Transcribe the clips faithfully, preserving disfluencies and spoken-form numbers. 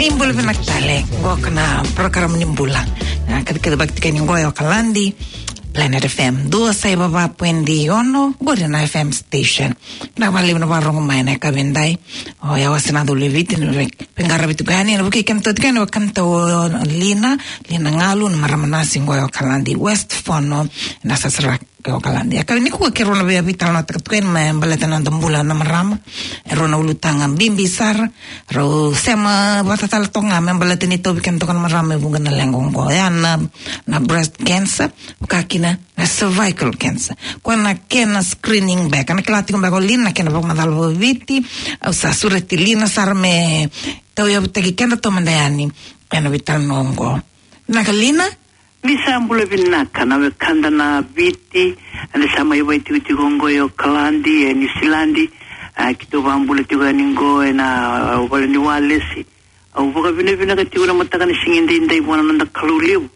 Ni bula vinaka tale, qo na program Ni Bula. Na kacikaci vakatikaini qo e Okaladi, Planet F M dua saiva va poidi ono, qori na F M station. Na valevu na varogo mai na ka vindai. O ya wasi na dole Viti, ni veiqaravi tiko yani, na vuki kena toti kena vakanta o Lina, Lina Ngalu, na marama nasi qo e Okaladi, West Fono, na sasara. Ke Okaladi. E ka nikua keirau na via veitalanoataka tiko yani me baleta na noda bula na marama. E rua na ulutaga bibi sara. Rau sema vata tale toka ga me baleta ni tauvi keda toka na marama e vuqa na leqa oqo. Ya na, na breast cancer, vaka kina na cervical cancer. Koya na kena screening beka. Na kila tiko beka o Lina na kena vakamacala vakaviti. Au sa sureti Lina sara me tauyavutaki keda taumada yani ena veitalanoa oqo. Vinaka Lina? Ni sa bula vinaka na wekada na Viti, eda sa mai vakaitikotiko oqo e Okaladi, e Niusiladi, a, keitou vakabula tiko yani oqo ena, a, vale ni Walesi. Au vakavinavinaka tiko na mataka ni siga edaidai vua na noda Kalou levu.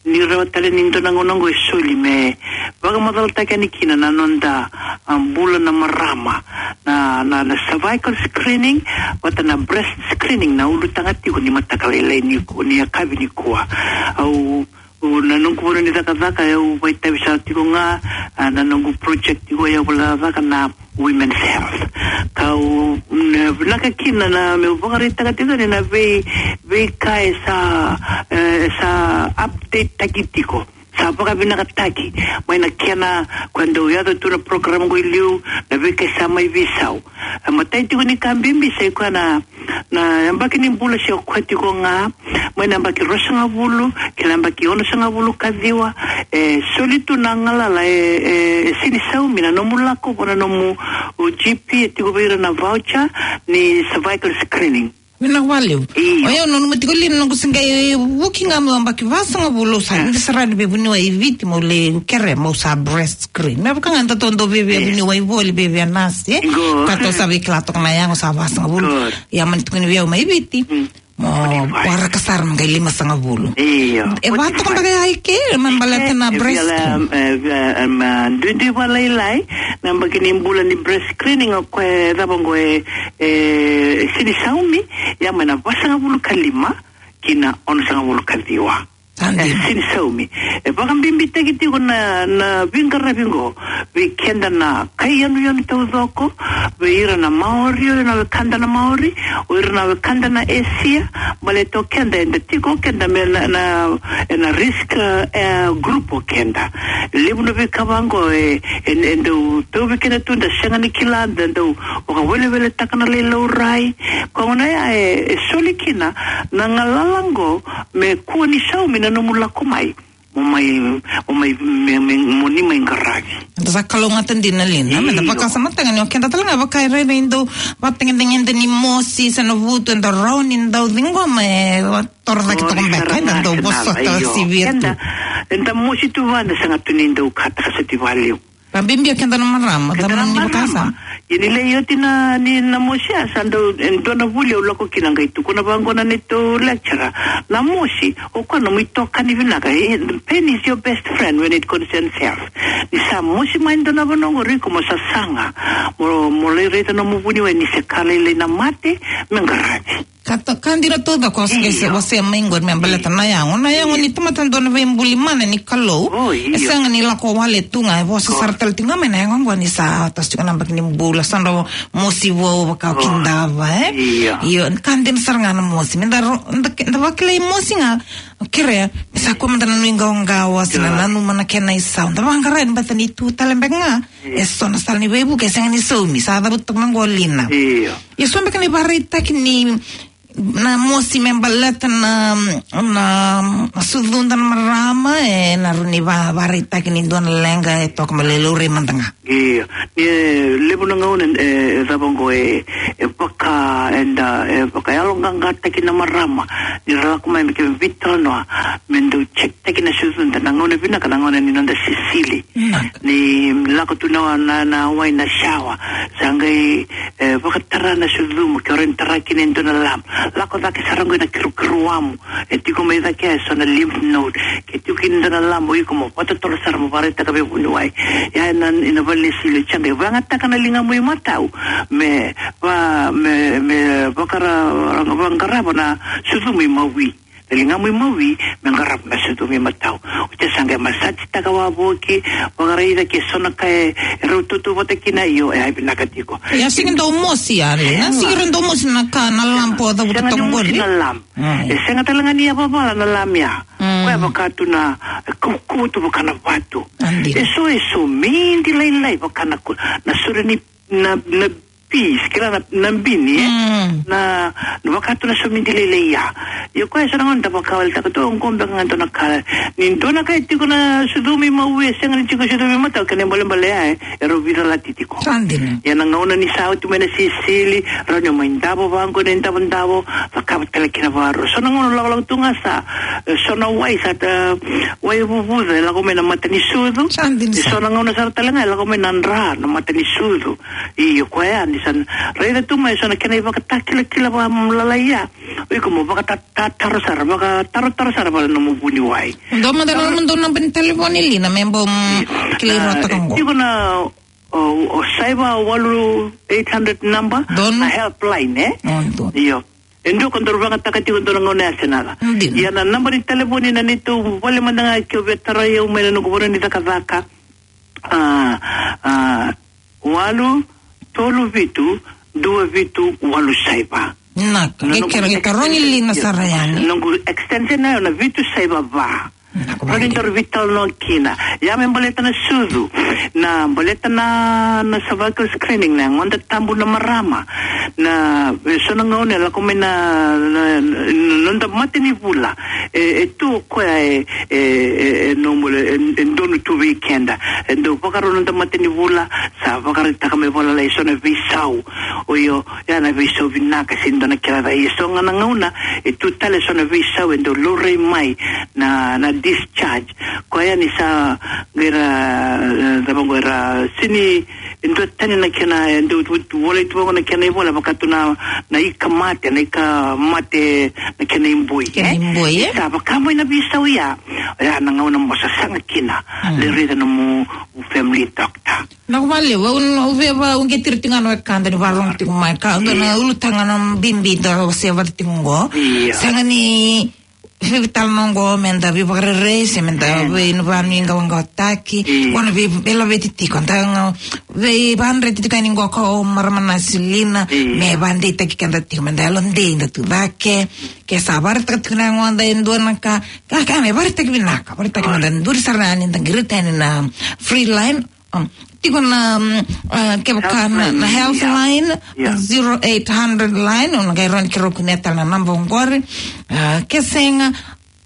Ni rawa tale ni dua na gauna oqo e soli me vakamacalataki yani kina na noda, a, bula na marama, na, na, na cervical screening, vata na breast screening, na ulutaga tiko ni mataka lailai nikua, ni yakavi nikua. Au, au, na noqu vanua ni cakacaka, au vakaitavi sara tiko ga, a, na noqu project tiko, au vakaitavi cakacaka na Women's Health. Kau, na, vinaka kina na, meu vakaraitaka tiko ni na vei, veika e sa, e, sa update taki tiko. Sa vakavinakataki mai na kena, koya dau yaco tu na program qo i liu, na veika sa mai veisau. E matai tiko ni ka bibi sa i koya na, na yabaki ni bula se o koya tiko ga, mai na yabaki ruasagavulu ki na yabaki onosagavulu ka ciwa, e soli tu na galala e, e, e sega ni saumi na nomu lako vua na nomu, o G P, e tiko vei ira na voucher ni cervical screening. Vinaka vakalevu. Io. O yau nanuma tiko Lina noqu se qai vuki ga meu yabaki vasagavulu, au sa, ah, ida sara ni veivuniwai i Viti meu lai kere meu sa breast screen. Me vaka ga datou dau via, via, eh, vuniwai voli, via, via nasi, e? Qo. Ka tou sa veikila toka na yago sa vasagavulu. Qo. Ia mani tukuni vei au mai Viti. Mm. Mo, forty-five. Waraka sara me qai limasagavulu. Io. E vaka toka beka ya i ke, me baleta na breast screen. E via, e via, em, duidui vakalailai, na yabaki ni bula ni breast screening o koya e cava qo e, e sega ni saumi, ia mai na vasagavulu ka lima ki na onosagavulu ka ciwa. Sa dina. E sega ni saumi. E vakabibitaki tiko na, na veiqaravi qo vei keda na kai yanuyanu taucoko, vei ira na Maori, o ira na wekada na Maori, o ira na wekada na Esia, baleta o keda eda tiko keda me na, na, ena risk, e, group o keda. Levu na veika vaqo e, e, e dau tauvi keda tu, da sega ni kila, da dau vakaweleweletaka na lai laurai. Koya gona ya e, e soli kina na galala qo me kua ni saumi na nomu lako mai. Mo mai, mo mai, me, me, mo ni mai qaravi. Da sa kalougata dina Lina, me da, io, vakasamataka ni o keda tale ga vaka e rairai dau vatagedegede ni mosi se na vutu, e dau rawa ni dau ciqoma e torocake toka beka, e dau vosota sivia tu. Eda, eda mosi tu vua, da sega tu ni dau kataka soti valevu. Vakabibi o keda na marama, keda na marama. Ia ni lai oti na, ni na mosi ya sa dau, e dua na vuli au lako kina qai tukuna vaqo na neitou lecturer. Na mosi, o koya nomu itokani vinaka. E, the pain is your best friend when it concerns health. Ni sa mosi mai dua na vanua qori iko mo sasaga. Mo, mo lai raica nomu vuniwai ni se ka lailai na mate, me qaravi. Ka ta, ka dina taucoko, io, se wasea mai qori me baleta na yago. Na yago ni tamata dua na veibuli mana ni Kalou. O, io. E sega ni lako wale tu ga, e vosa sara tale tu ga mai na yago qo ni sa toso tiko na yabaki ni bula, sa dau mosi vou vaka o kidava, e? Io. Io, ka dina sara ga na mosi. Me da ro, da, da vakilai mosi ga, kerea, sa kua mada na nuiqawaqawa, sa na nanuma na kena isau. Da vaqara ni bata ni tu tale beka ga. E so na sala ni veivuke, e sega ni saumi, sa cavuta toka mai qo Lina. Io. Ia so beka na ivakaraitaki ni na mosi me baleta na, na, na sucuda na marama, e na rua ni va, vakaraitaki ni dua na leqa e toka me lai laurai mada ga. Io. Ni, e, levu na gauna, e, e cava qo e, e vaka, eda, e vakayaloqaqataki na marama. Ni ra lako mai me ke veitalanoa, me dau check taki na sucuda, na gauna vinaka, na gauna ni noda sisili. Vinaka. Ni lako tu na, na, na wai na shower. Sa qai, e, vakatara na sucumu, ke o rawa ni tara kina e dua na lump. lako cake sara qo na kirukiruamu. E tiko mai cake eso na lymph node. Ke tiko kina dua na labo, iko mo vakatotolo sara mo vakaraitaka vei vuniwai. Ia ena, ena vale ni sili, oti ga e vakayagataka na ligamu imatau me va, me, me vakara, vaqarava na sucumu imawi. Na ligamu imawi me qarava na sucumu imatau. Oti sa qai masajitaka wavoki, vakaraica ke so na ka e rau tautauvata kina, io, e a vinaka tiko. Ia, sega ni dau mosi, ia, e, na, sega ni dau mosi na ka, na lamp o cavuta toka qori. Sega ni mosi na lamp. Mm. E sega tale ga ni yavavala na lamp ya. Mm. Koya vaka tu na, e kaukauwa tu vaka na vatu. Adi. E so, e so midi lailai vaka na ku-, na sore ni, na, na peas, kila na, na bini, e? Mm. Na, na vaka tu na so midi lailai ya. Ia koya e so na gauna da vakawaleta tu, o qo beka ga dua na ka. Ni dua na ka e tiko na sucumu imawi, e sega ni tiko sucumu imatau, kena ibalebale ya, e, e rau veicalati tiko. Sa dina. Ia na gauna ni sa oti mai na sisili, rawa ni o mai davo vaqo na idavodavo, cakava tale kina vakarua. So na gauna lakolako tu ga sa, e, so na wai sa, e, wai vuvuca, e lako mai na mata ni sucu. Sa dina. E sa. So na gauna sara tale ga, e lako mai na dra, na mata ni sucu. Io, koya ni sa raica tu mai so na kena ivakatakilakila vakamalala ya. O iko mo vakata-, ta-, taro sara, vakatarotaro sara vaka nomu vuniwai. Dua mada na, dua na naba ni talevoni, Lina, me bau, mm, kilai rota ka qo. Tiko na, o, o saiva walu eight hundred number, donu, na helpline, e? O, donu. Io. E dua ko daru vakayagataka tiko dua na gauna ya se na ca. Dina. Ia na naba ni talevoni na neitou vale mada ga ke o via tarai au mai na noqu vanua ni cakacaka. A, a, walu, tolu, vitu, dua, vitu, walu, saiva. Na, na noqu, ke kere, ke karoni, Lina, sara yani. Noqu extension na, na vitu, saiva, va. Na, ko rawa ni daru veitalanoa kina. Ia me baleta na sucu, na baleta na, na cervical screening, na yagoda tabu na marama. Na, e so na gauna e lako mai na, na, na, na noda mate ni vula. E, e tu o koya e, e, e, e normal, e, e donu tu vei keda. E dau vakarau noda mate ni vula, sa vakaraitaka mai vakalalai e so na veisau. O io, ya na veisau vinaka, se dua na kena ca. E so ga na gauna, e tu tale e so na veisau, e dau laurai mai na, na discharge. Koya ni sa qai ra, e, cava qo, era sini, e dua tani na kena, e dau tu, tu, volai tu vaqo na kena ivola, vaka tu na, na ika mate, na ika mate, na kena iboi, e? Kena iboi, e? Sa vaka mai na veisau ya, ya na gauna mo sasaga kina, mm, lai raica nomu family doctor. Na ko vale, au, au via va, au qai tiri tiko ga na wekada ni vakarorogo tiko mai, ka, dua na ulutaga na bibi da se vata tiko qo. Io. Sega ni veitalanoa qo me da veivakarerei, se me da vei, na vakanuiqawaqawataki. Io. Qo na vei, veilaveti tiko, da ga veivakadreti tiko yani qo ko marama na silina, io, me vakadeitaki keda tiko, me da yalodei, da tu cake. Ke sa vakaraitaka tiko na yagoda e dua na ka, ka, ka me vakaraitaki vinaka, vakaraitaki, me da duri sara yani, da qirita yani na free line. Um, tiko na, um, uh, kevaka na, na Healthline, Healthline, io, io, zero eight hundred line, o na qai rawa ni keirau kunea tale na naba oqori. Uh, ke sega,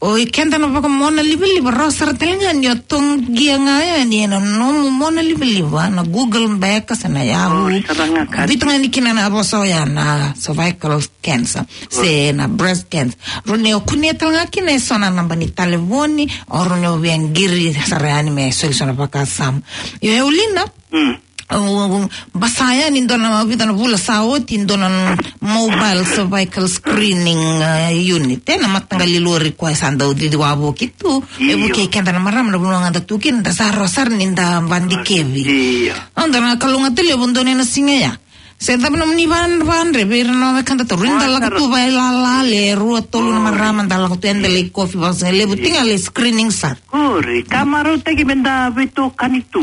o i keda na vakamonalivaliva, rawa sara tale ga ni o toqia ga yani ena nomu monalivaliva na Google beka se na Yahoo. O, sara ga ka. Biuta ga yani kina na vosa oya na cervical cancer, se na breast cancer. Rawa ni o kunea tale ga kina e so na naba ni talevoni, o rawa ni o via qiri sara yani me soli so na vakasama. Io, e, Lina. Mm. O, o, o, basika yani dua na vica na vula sa oti, dua na mobile cervical screening, uh, unit. E na mataqali lori koya sa dau cici wavoki tu, e, io, vukei keda na marama na vanua ga da tu kina, da sa rawa sara ni da vadikevi. Io. Au dau na kalougata levu dua na siga ya. Se cava nomuni va-, vadre vei ira na wekada tauri, da lako tu vailalai, rua, tolu na marama, da lako tu, eda lai kofi vakasigalevu, io, tiko ga lai screening sara. Qori, ka marautaki me da veitokani tu.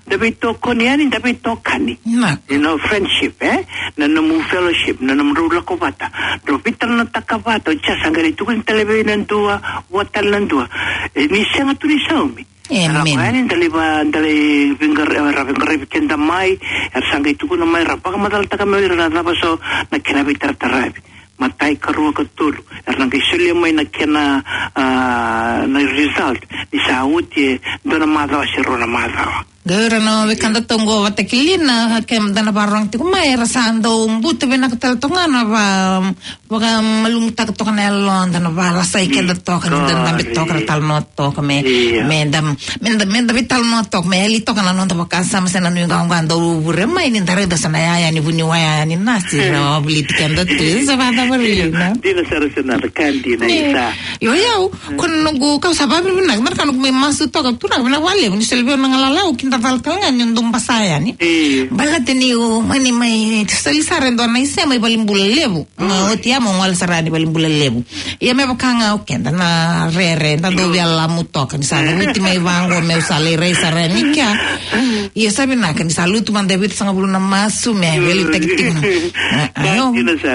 Da veitokoni yani, da veitokani. Na. You know, friendship, e? Na nomu fellowship, na nomudrau lako vata. Drau veitalanoataka vata, o ya sa qai tukuni tale vei na dua, vua tale na dua. E, ni sega tu ni saumi. Amen. Ra vaka yani, da lai va, da lai veiqara-, ra veiqaravi keda mai, era sa qai tukuna mai, ra vakamacalataka mai o ira na cava so na kena veitarataravi. Matai, karua, katolu, era na qai solia mai na kena, a, na result ni sa oti e dua na macawa se rua na macawa. Qai ira na wekada toka qo vata kei Lina, keda na vakarorogo tiko mai, era sa dau buta vinaka tale toka ga na va, vakamalumutaka toka na yaloda, na valasai keda toka, ni da dabe toka, ra talanoa toka me, me da, me da, me da veitalanoa toka, me yali toka na noda vakasama se na nuiqawaqawa dau vure mai, ni da raica sa na yaya ni vuniwai, yaya ni nasi, ra wavoliti keda tu, sa vakacavari, na? Dina sara, sa na ka dina, isa. Io, io, ko na noqu, kau sa vavinavinaka, na ka noqu mai masu toka, turaga, vinaka vakalevu, ni soli vei au na galala, au kidacala tale ga ni dau basa yani. Baleta niu mani mai soli sara e dua na isema i valenibula levu. Oti ya meu gole sara yani valenibula levu. Ia me vaka ga o keda na rere, da dau via lamu toka, ni sa cavuti mai vaqo, meu sa lai rai sara yani kea. Ia sa vinaka, ni sa lutu mada e vitusagavulu na masu, me veiliutaki tiko na.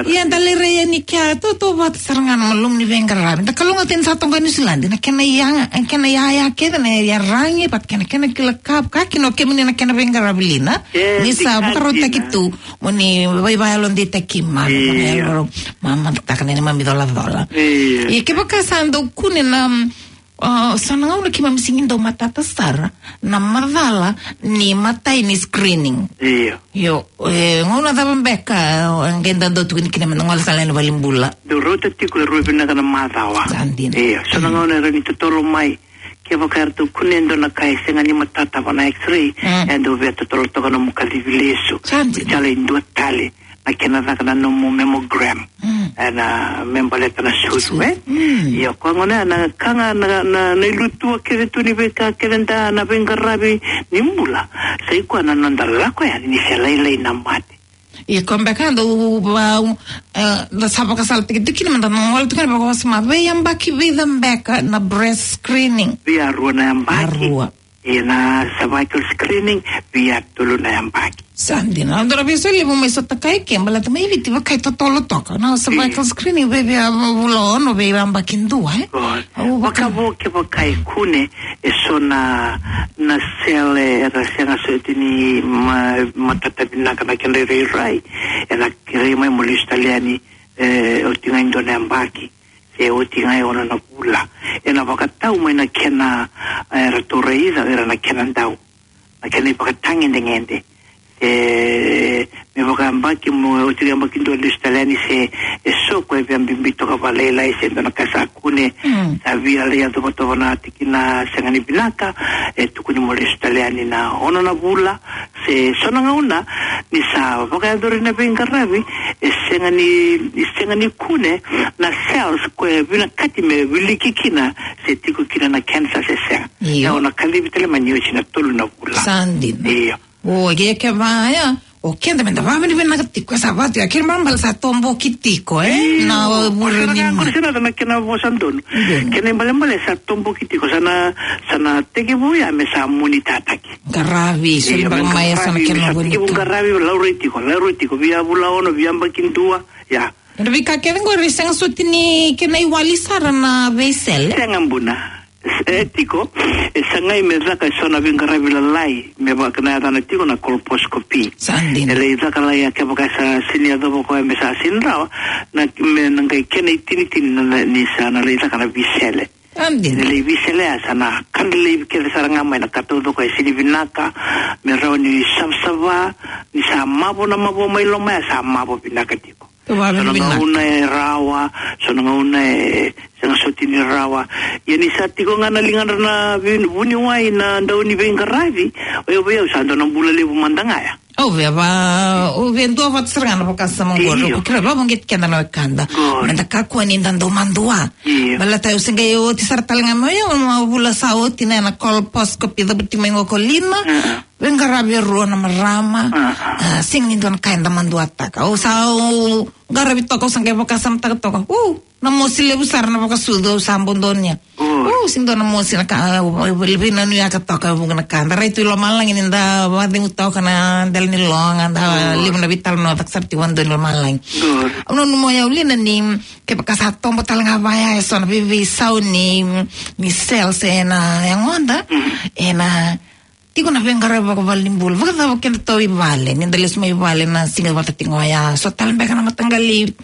Ia da lai rai yani kea, tautauvata sara ga na malumu ni veiqaravi. Da kalougata ni sa toka Niusiladi, na kena yaga, kena yaya kece na iyaragi, vata kei na kena kila ka, ka kina o kemuni na kena veiqaravi, Lina. Ni sa vakarautaki tu, mo ni vaivai yalodeitaki, ma, ma, ma, ma, taka na neimami colacola. Ia kevaka sa dau kune na, mm, o, so na gauna keimami sega ni dau matata sara na macala ni matai ni screening. Io. Io, e, gauna cava beka, e, qai da dau tukuni kina me da gole sara yani valenibula? Dau rauta tiko e rua vinaka na macawa. Sa dina. Io, so na gauna era ni totolo mai, kevaka eratou kunea e dua na ka e sega ni matata va na X-ray, e dau via totolo toka nomu kacivi lesu. Sa dina. Sa lai dua tale na kena caka na nomu mammogram. Ena me baleta na sucu, e? Io, koya gona na ka ga na, na, na ilutua kece tu ni veika kece da na veiqaravi ni bula. Sa i koya na noda lako yani ni se lailai na mate. Ia ko beka dau va, e, da sa vakasalataki tiko kina me da na gole tiko kina vakawasoma. Veiyabaki vica beka na breast screening? Via rua na yabaki. Rua. Ia na cervical screening via tolu na yabaki. Sa dina. Au dau via solia vou mai sota kai ke, baleta mai Viti vakai totolo toka na cervical screening vei, via vula ono, veiyabaki dua, e? Au vaka- Vakavo kevaka e kune e so na, na cell era sega soti ni ma, matata vinaka na kena irairai, ena kerei mai mo lesu tale yani, e, oti ga e dua na yabaki, se oti ga e ono na vula. Ena vakatau mai na kena, e, ratou raica o ira na kena dau, na kena ivakatagedegede. E, me vakayabaki mo, oti ga yabaki dua lesu tale yani, se e so ko e via bibi toka vakalailai, se dua na ka sa kune, sa via lai yacova toka na tikina sega ni vinaka, e tukuni mo lesu tale yani na ono na vula, se so na gauna ni sa vakayacori na veiqaravi, e sega ni, e sega ni kune na cells ko e vinakati me wiliki kina se tiko kina na cancer se sega. Io. E, o na kacivi tale mai ni oti na tolu na vula. Sa dina. Io. O, ke, kevaka ya, o keda me da vavinavinaka tiko, sa vatu ya, kena ibalebale sa toboki tiko, e? Io. Na, o, vure ni ma. Sa na kena vosa donu. Donu. Kena ibalebale sa toboki tiko, sa na, sa na tekivu ya me sa monitataki. Qaravi, so na bale mai, sa na kena vuni. Qaravi, laurai tiko, laurai tiko, via vula ono, via yabaki dua, ya. Na veika kece qori, sega soti ni kena iwali sara na veisele? Sega, buna. E tiko, e sagai me caka e so na veiqaravi lalai, me vaka na yacana tiko na colposcopy. Sa dina. E lai caka lai ya kevaka sa sini yacova koya me sa sini rawa, na, me na qai kena itinitini na, na, ni sa na lai caka na veisele. Sa dina. Ni lai veisele ya sa na kadra laivi kece sara ga mai na ka taucoko e sini vinaka, me rawa ni savasava, ni sa mavo na mavoa mai loma ya sa mavo vinaka tiko. So na gauna e rawa, so na gauna e sega soti ni rawa. Ia ni sa tiko ga na ligadra na vuni, vuniwai na dau ni veiqaravi, o yau vei au sa dua na bula levu mada ga ya. Au via va, au via duavata sara ga na vakasama qori. Io. Au kila vakauqeti keda na wekada. Qori. Me da kakua ni da dau madua. Io. Baleta au se qai oti sara tale ga mai, au na vula sa oti na, na colposcopy, cavuti mai qo ko Lina. Veiqaravi e rua na marama. A, sega ni dua na ka eda maduataka. Au sa, au qaravi toka, au sa qai vakasamataka toka. U, na mosi levu sara na vakasucu, au sa bodonia. U, sega ni dua na mosi na ka, au, au, au veinanuyaka toka e vuqa na ka. Da rai tu i lomalagi ni da vakacegu toka na dela ni loga, da levu na veitalanoa caka sara tiko vakadua i lomalagi. Au nanuma o yau, Lina, ni kevaka sa tobo tale ga vaya e so na veiveisau ni, ni cells ena yagoda, ena tiko na veiqaravi vakavalenibula. Vakacava keda tou i vale, ni da lesu mai vale na siga vata tiko ya, so tale beka na mataqali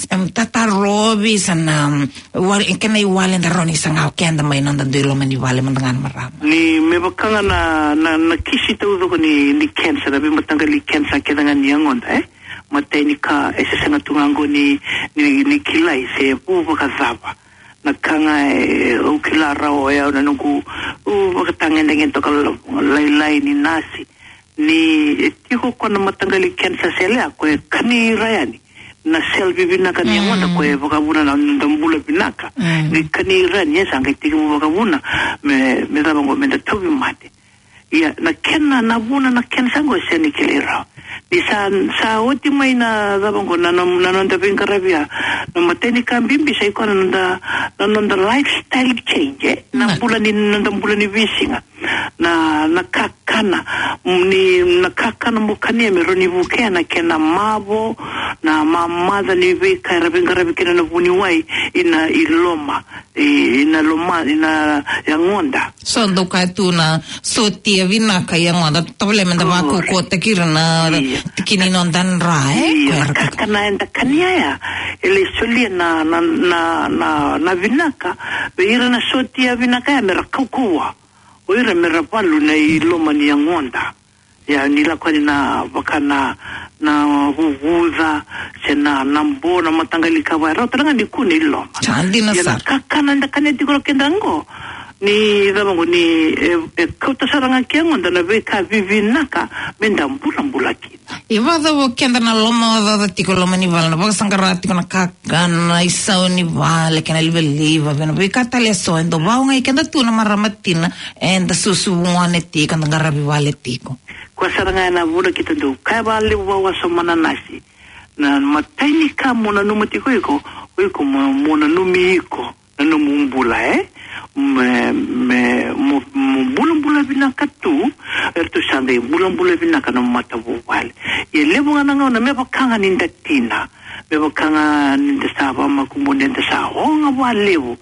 Em, tatarovi sa na, um, wale, kena iwali da rawa ni saga o keda mai noda dui loma ni vale mada ga na marama. Ni me vaka ga na, na, na kisi taucoko ni, ni kensa, na veimataqali kensa kece ga ni yagoda, e? Matai ni ka, e se sega tu ga qo ni, ni, ni kilai se vu vakacava. Na ka ga e, au kila rawa o yau na noqu, u, vakatagedegede toka la-, lailai ni nasi. Ni e tiko ko na mataqali kensa sele a ko e kani ira yani na sel vivinaka ni yagoda ko e vakavuna na noda bula vinaka. Mm. Ni kani ira yani e sa qai tiki mu vakavuna me, me cava qo me da tauvi mate. Ia, na kena, na vuna na kensa qo e sega ni kilai rawa. Ni sa, sa oti mai na cava qo na, na, na noda veiqaravi ya. Na matai ni ka bibi sa i koya na noda, na noda lifestyle change, e? Na bula ni, noda bula ni veisiga. Na, na kakana, ni, na kakana mo kania me rawa ni vukea na kena mavo, na mamaca ni veika era veiqaravi kina na vuniwai, ina i loma, i, ina loma, ina yagoda. So dau kaya tu na sotia vinaka i yagoda, tavale me da vakaukauataki ira na tikini noda dra, e? Io, na kakana eda kania ya, e lai solia na, na, na, na, na vinaka vei ira na sotia vinaka ya me ra kaukauwa. O ira me ra valu na i loma ni yagoda. Ia, ni lako yani na vaka na, na vuvuca, se na, na bo, na mataqali kava, e rawa tale ga ni kune i loma. Sa dina sara. Ia, na kakana eda kania tiko o keda qo, ni cava qo ni, e, e kauta sara ga ki yagoda na veika vivinaka me da bulabula kina. E vakacava o keda na lomaocaoca tiko loma ni vale, na vakasaqara tiko na kakana, isau ni vale, kei na livaliva, vei na veika tale eso, e dau vakaogai keda tu na marama tina, eda susu gone tiko, da qaravi vale tiko. Koya sara ga na vuna keitou dau kaya vakalevu vakawasoma na nasi. Na matai ni ka mo nanuma tiko iko, o iko mo, mo nanumi iko. Na nomu bula, e? Me, me, mo, mo bulabula vinaka tu, eratou sa qai bulabula vinaka na matavuvale. Ia levu ga na gauna, me vaka ga ni da tina, me vaka ga ni da sa vamakubu, ni da sa oga vakalevu,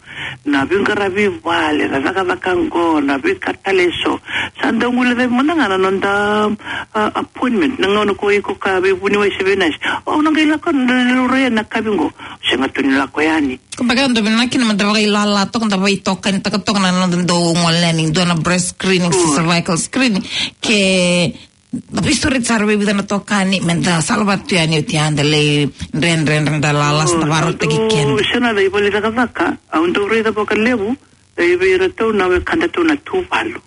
na veiqaravi vale, na cakacaka qo, na veika tale eso, sa dau guilecavi mada ga na noda, a, appointment, na gauna ko iko ka veivuniwai se veinasi. O, au na qai lako, na, na, na, na kavi qo, sega tu ni lako yani. Ko beka dau vinaka kina me da vakailala toka, da veitokani toka, toka na noda dau gole yani, dua na breast screening, se cervical screening. Ke da veisureti sara vei vica na itokani, me da salavata tu yani oti, a da lai dredredre, da lala, sa da vakarautaki keda. Sega na da ivale cakacaka, au dau raica vakalevu, e, vei iratou na wekadatou na Tuvalu.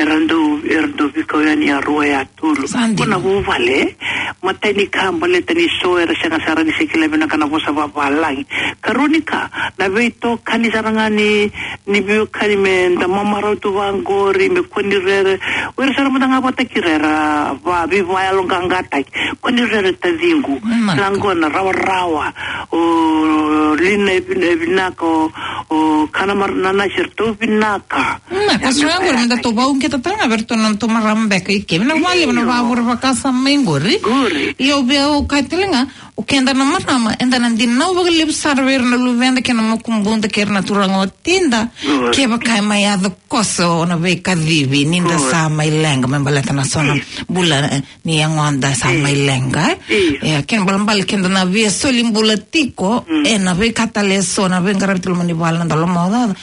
Era dau, era dau veikau yani a rua, a tolu. Sa dina. Ko na vuvale, matai ni ka baleta ni so era sega sara ni se kila vinaka na vosa vavalagi. Karua ni ka, na veitokani sara ga ni, ni veiwekani me da mamarau tu vaqori, me kua ni rere. O ira sara mada ga vata kei ira era va, veivayaloqaqataki. Kua ni rere taciqu. Mm. Laqona rawarawa. O lina e vin-, e vinaka, o, o kana mar-, na nasi eratou vinaka. Na, ka sega qori me datou vakauqeta tale ga vei iratou na nodatou marama beka i ke. Vinaka vakalevu na vakavure vakasama mai qori. Qori. Io, vei au kaya tale ga, o keda na marama, eda na dinau vakalevu sara vei ira na luveda kei na makubuda kei ira na turaga watida. Qori. Kevaka e mai yaco koso na veikacivi, ni da sa mai leqa, me baleta na so na bula, e, ni yagoda sa mai leqa, e? Io. E, kena ibalebale keda na via soli bula tiko, mm, e na veika tale eso, na veiqaravi tu loma ni vale, na noda lomaocaoca.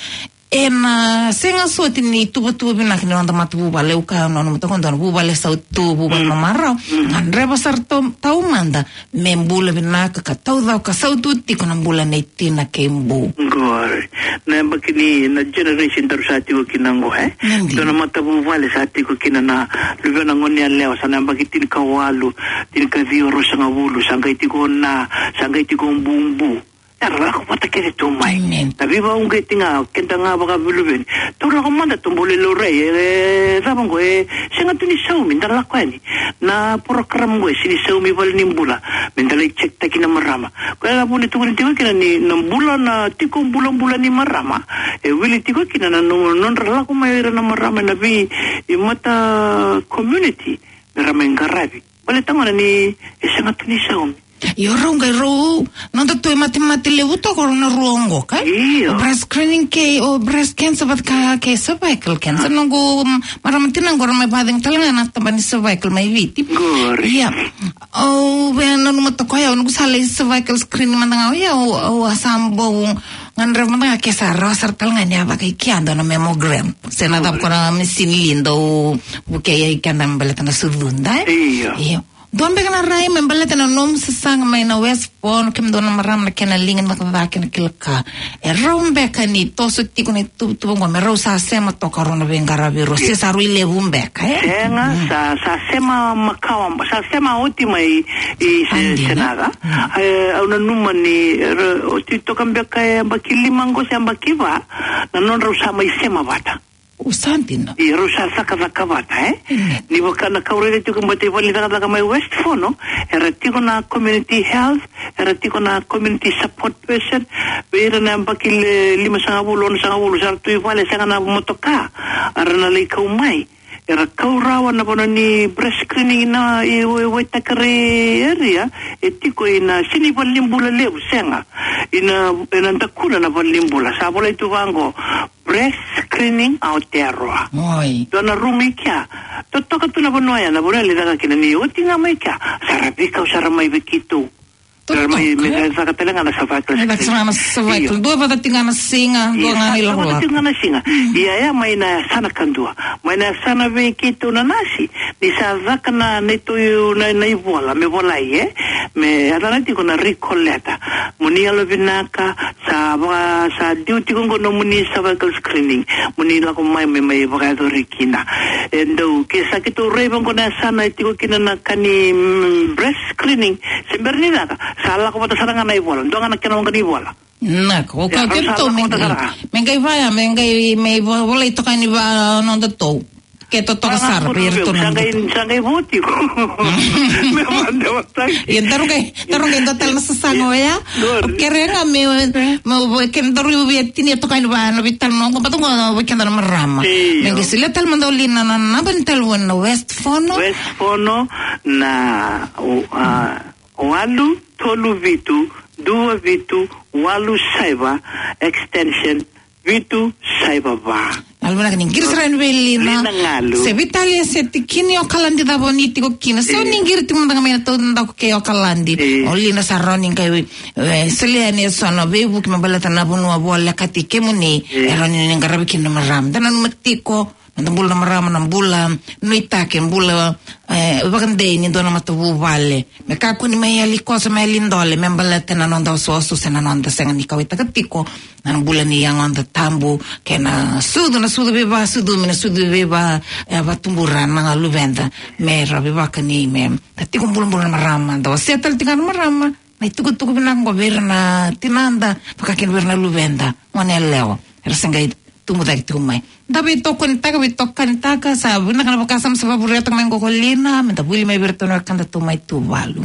E na sega soti ni tuvatuva vinaka ni noda matavuvale, au kaya na nomu tako, dua na vuvale sautu, vuvale mamarau. Mm. Gadreva sara tau, taumada me bula vinaka ka taucoko, ka sautu tiko na bula nei tina kei bu. Qori. Na yabaki ni, na generation daru sa tiko kina qo, e? Dua na matavuvale sa tiko kina na luvena goneyalewa, sa na yabaki tinikawalu, tinikaciwa, ruasagavulu, sa qai tiko na, sa qai tiko bubu. Era lako vata kece tu mai. Na veivakauqeti ga, keda ga vakavaluveni. Tou lako mada tou bau lai laurai, e, e, cava qo, e, sega tu ni saumi, da lako yani. Na program qo e sega ni saumi vale ni bula. Me da lai check taki na marama. Koya na vuna e tukuni tiko kina ni na bula, na tiko bulabula ni marama, e wili tiko kina na no-, nodra lako mai o ira na marama ena vei, e, mata community, me ra mai qaravi. Baleta gona ni e sega tu ni saumi. Io, rau qai rau, noda tu e matemate levu toka rau na rua oqo, ka? Io. O breast screening kei, o breast cancer vata ka kei cervical cancer. Noqu, mm, marama tina qo ra mai vacega tale ga na tabana ni cervical mai Viti. Qori. Ia. Au via nanuma toka o yau, noqu sa lai cervical screening mada ga o yau, au a sa bau gadreva mada ga ke sa rawa sara tale ga ni a vaka i kea dua na mammogram. Se na cava ko na misini li dau vukei ai keda me baleta na sucuda, e? Io. Io. Dua beka na rai me baleta na nomu sasaga mai na West Fono, kemudou na marama na kena liga ni cakacaka kei na kila ka. E rau beka ni toso tiko na ituvatuva oqo me rau sa sema toka rau na veiqaravi rau, se sa rui levu beka, e? Sega, sa, sa sema makawa, sa sema oti mai i se, Andy, Senaga. E, au nanuma ni, ra, oti toka beka e yabaki lima oqo se yabaki va, na nodrau sa mai sema vata. O sa dina. Ia rau sa cakacaka vata, e? Ni vaka na ka au raica tiko, baleta i vale ni cakacaka mai West Fono, era tiko na community health, era tiko na community support person, vei ira na yabaki le limasagavulu, onosagavulu, sa ra tu i vale, sega na motoka, era na lai kau mai. Era kau rawa na vanua ni breast screening na i, i, i Waitakere area, e tiko ina, sega ni valenibula levu, sega. Ina, ina dakuna na valenibula. Sa volai tu vaqo, Breast Screening Aotearoa. Oi. Dua na rumu i kea. Totoka tu na vanua ya, na vanua ya lai caka kina, ni oti ga mai kea, sa ra veikau sara mai vei keitou. Totoka. Ra mai, me caka tale ga na cervical screening. Caka tale ga na cervical. Io. Dua vata tiko ga na siga, dua ga na ilakolako. Io, sa dua vata tiko ga na siga. Mm. Ia, ia mai na yasana kadua. Mai na yasana vei keitou na nasi. Ni sa caka na, neitou na, na ivola, me volai, e? Me yacana tiko na recall letter. Mo ni yalovinaka, sa va, sa due tiko oqo nomuni cervical screening. Mo ni lako mai, me mai vakayacori kina. E dau, ke sa keitou raica oqo na yasana e tiko kina na ka ni, mm, breast screening. Se bera ni caka, sa lako vata sara ga na ivola. Dua ga na kena waqa ni ivola. Naka, o keitou me qai, me qai vaya, me qai, me vo-, volai toka ni va nodatou. Ke totoka sara, vei iratou na nodatou. Sa qai, sa qai vo tiko. Me vakadewa. Ia, daru qai, daru qai dua tale na sasaga oya. Io. O kere ga me, me, me, ke daru via tinia toka ni va, na veitalanoa qo, baleta qo, vei keda na marama. Io. Me qai solia tale mada o Lina na, na naba ni talevoni na West Fono. West Fono na, o, a, walu tolu vitu, dua vitu, walu saiva, extension vitu saiva va. Galu vinaka ni qiri sara yani vei Lina. Lina Galu. Se veitalia se tikina i Okaladi cava o ni tiko kina. Se o ni qiri tiko mada ga mai na taudaku kei Okaladi. E. O Lina sa rawa ni qai, e, solia yani eso na veivuke me baleta na vanua volekati kemuni. E. E rawa ni qaravi kina na marama. Da nanuma tiko, na bula na marama, na bula nuitaki, bula, e, vakadei ni dua na matavuvale. Me kakua ni mai yali koso, mai yali dole, me baleta na noda osooso se na noda sega ni kauwaitaka tiko na bula ni yagoda tabu, kei na sucu, na sucu veivasucumi, na sucu veiva, e, vatubura na luveda, me ra veivakani, me da tiko bulabula na marama, da wasea tale tiko na marama na itukutuku vinaka qo vei ira na tinada, vaka kina vei ira na luveda, gone yalewa era se qai tubu cake tiko mai. Da veitokonitaka, veitokanitaka, sa vinaka na vakasama sa vakavuretaka mai qo ko Lina, me da vuli mai vei iratou na wekadatou mai Tuvalu.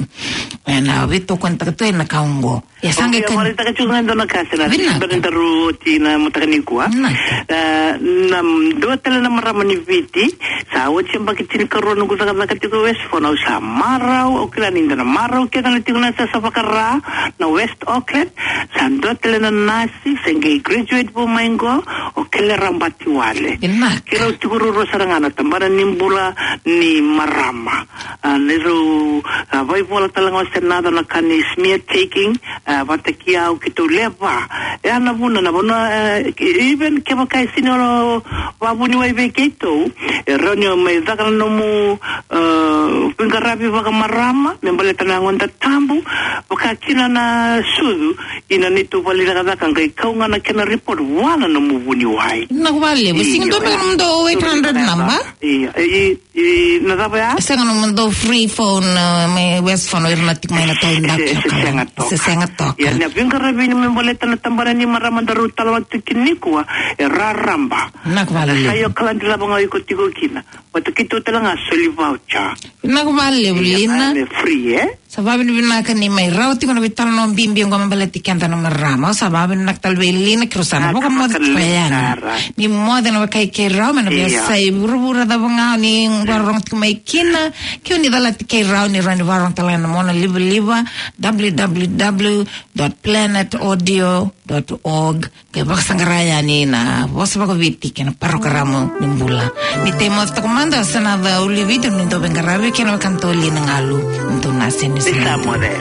Ena veitokonitaka tu ena ka oqo. Ia sa qai ka. Au via vakaraitaka tiko ga e dua na ka, Senaga. Vinaka. Bera ni daru oti na mataka nikua. Vinaka. E, na dua tale na marama ni Viti, sa oti yabaki tinikarua noqu cakacaka tiko West Fono, au sa marau, au kila ni da na marau kece na tiko na yasayasa vaka-Ra, na West Auckland, sa dua tale na nasi, se qai graduate vou mai qo, o Kele Rabati Wale. Vinaka. Keirau tiko ruarua sara ga na tabana ni bula ni marama. A, neirau, a, vaivola tale ga o Senaga na ka ni smear taking, a, vata kei au keitou lewe va. E a na vuna, na vanua, e, even kevaka e sega ni o vakavuniwai vei keitou, e rawa ni o mai caka na nomu, e, veiqaravi vakamarama, me baleta na yagoda tabu, vaka kina na sucu, ina neitou vale ni cakacaka qai kau ga na kena report vua na nomu vuniwai. Vinaka vakalevu. Io, sega ni dua beka na nomudou eight hundred number? Io, e, e, e, na cava ya? Sega na nomudou free phone, e, mai West Fono, ira na tiko mai na taudaku. Se, se sega toka. Se sega toka. Ia, na veiqaravi ni me baleta na tabana ni marama daru talanoa tiko kina nikua, e raraba. Vinaka vakalevu. Sa i Okaladi cava ga o iko tiko kina. Vata keitou tale ga soli voucher. Vinaka vakalevu, Lina. Ia, e free, e? Sa vavinavinaka ni mai rawa tiko na veitalanoa bibi oqo me baleti keda na marama. Sa vavinavinaka tale vei Lina Kirusana. Vakamoce tiko yani. Ni moce na wekai keirau mai na veiyasai vuravura cava ga ni vakarorogo tiko mai kina. Ke o ni calati keirau ni rawa ni vakarorogo tale ga ena monalivaliva, w w w dot planet audio dot org. Ke vakasaqara yani na vosa vakaviti kei na parokaramu ni bula. Ni tei moce toka mada, sa na ca uli viti ni dau veiqaravi kei na wekana toli na galu. Ni dau na seni sa moce.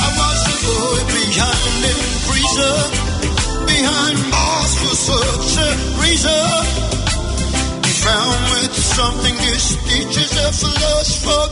I was a boy behind the freezer, behind bars for such a reason. He found with something, this teacher's a philosopher.